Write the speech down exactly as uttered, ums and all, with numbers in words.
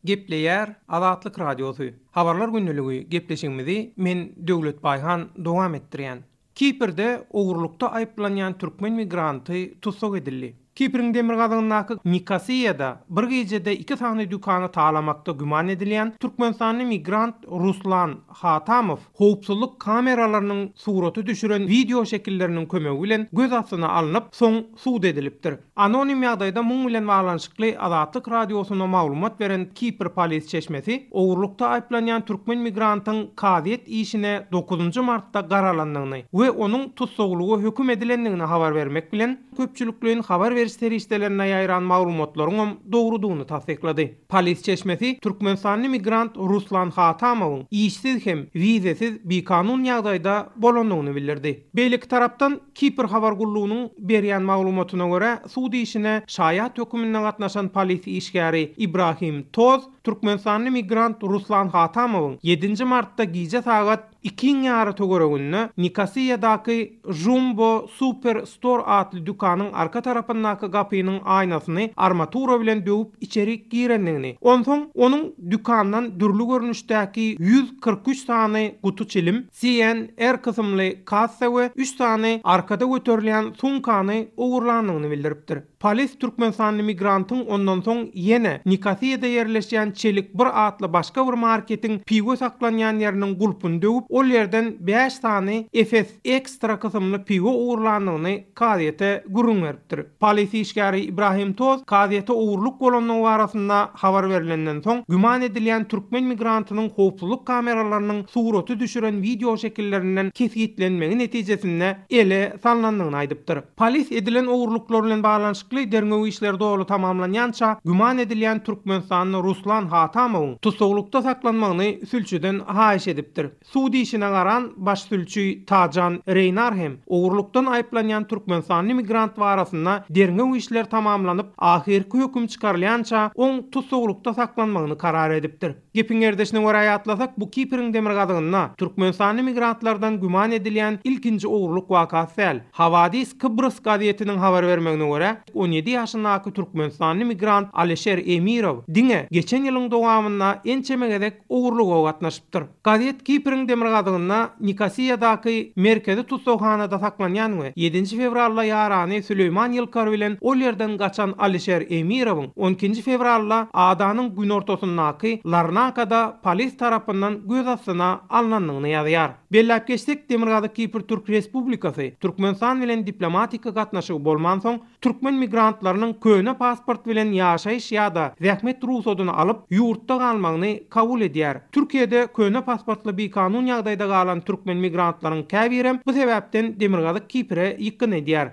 Gepleýär Azatlyk Radiosy. Habarlar gündeligi gepleşigimizi men Döwlet Baýhan dowam etdirýän. Kiprde ogurlukda aýyplanýan türkmen migranty tussag edildi. Kipriň demirgazygyndaky Nikosiýada bir gijede iki sany dükany talamakda güman edilýän Türkmenistanly migrant Ruslan Hatamow howpsuzlyk kameralarynyň suraty düşüren wideo şekilleriniň kömegi bilen göz astyna alnyp, soň sud edilipdir. Anonim ýagdaýda muň bilen baglanyşykly Azatlyk Radiosyna maglumat beren Kipr polis çeşmesi ogurlukda aýyplanýan türkmen migrantyň kazyýet işine dokuzynjy martda garalandygyny we onuň tussaglyga höküm edilendigini habar bermek bilen köpçülikleýin habar beriş serişdelerine ýaýran maglumatlaryň dogrudygyny tassyklady. Polis çeşmesi Türkmenistanly migrant Ruslan Hatamowyň işsiz hem wizesiz bikanun ýagdaýda bolandygyny bildirdi. Beýleki tarapdan Kipr habar gullugynyň berýän maglumatyna görä sud işine şaýat hökümine gatnaşan polis işgäri Ibrahim Toz Türkmenistanly migrant Ruslan Hatamowyň ýedinji martda gije sagat ikiň ýary töwereginde Nikosiýadaky Jumbo Super Store atly dükanyň arka tarapyndaky gapynyň aýnasyny armatura bilen döwüp içeri girendigini, onsoň onuň dükandan dürli görnüşdäki ýüz kyrk üç sany guty çilim, C N R kysymly kassa we üç sany arkada göterilýän sumkany ogurlandygyny bildiripdir. Polis Türkmenistanly migrantyň ondan soň ýene Nikosiýada ýerleşýän Çelik bir atly başga bir marketiň piwo saklanýan ýeriniň gulpuny döwüp, ol ýerden bäş sany Efes Ekstra kysymly piwo ogurlandygyny kazyýete gürrüň beripdir. Polis işgäri Ibrahim Toz kazyýete ogurlyk bolandygy barasynda habar berilenden soň güman edilýän türkmen migrantynyň howpsuzlyk kameralarynyň suraty düşüren wideo şekillerinden kesgitlenmegi netijesinde ele salnandygyny aýdypdyr. Polis edilen ogurlyklar bilen baglanyşykly derňew işleri doly tamamlanýança güman edilýän Türkmenistanly Ruslan Hatamowyň tussaglykda saklanmagyny sülçüden haýyş edipdir. Sud işine garan baş sülçi Tajan Reýnar hem ogurlykdan aýyplanýan Türkmenistanly migrant barasynda derňew işleri tamamlanyp, ahyrky höküm çykarylýança oň tussaglykda saklanmagyny karar edipdir. Gepiň ýerdeşine görä ýatlasak, bu Kipriň demirgazygynda Türkmenistanly migrantlardan güman edilýän ilkinji ogurlyk wakasy däl. Havadis Kıbrıs gazetiniň habar bermegine görä, on ýedi ýaşyndaky Türkmenistanly migrant Alişer Emirow diňe geçen ýylyň dowamynda ençeme gezek ogurlyga gatnaşypdyr. Gazet Kipriň demirgazygynda Nikosiýadaky merkezi tussaghanada saklanýan we ýedinji fewralda ýarany Süleýman Ýylkar bilen ol ýerden gaçan Alişer Emirowyň on ikinji fewralda adanyň günortasyndaky Larnakada polis tarapyndan göz astyna alnandygyny ýazýar. Belläp geçsek, Demirgazyk Kipr Türk Respublikasy Türkmenistan bilen diplomatik gatnaşygy bolmansoň, türkmen migrantlarynyň köne pasport bilen ýaşaýyş ýa-da zähmet ruhsadyny alyp, ýurtda galmagyny kabul edýär. Türkiýede köne pasportly bikanun ýagdaýda galan türkmen migrantlaryň käbiri bu sebäpden Demirgazyk Kipre ýykgyn edýär.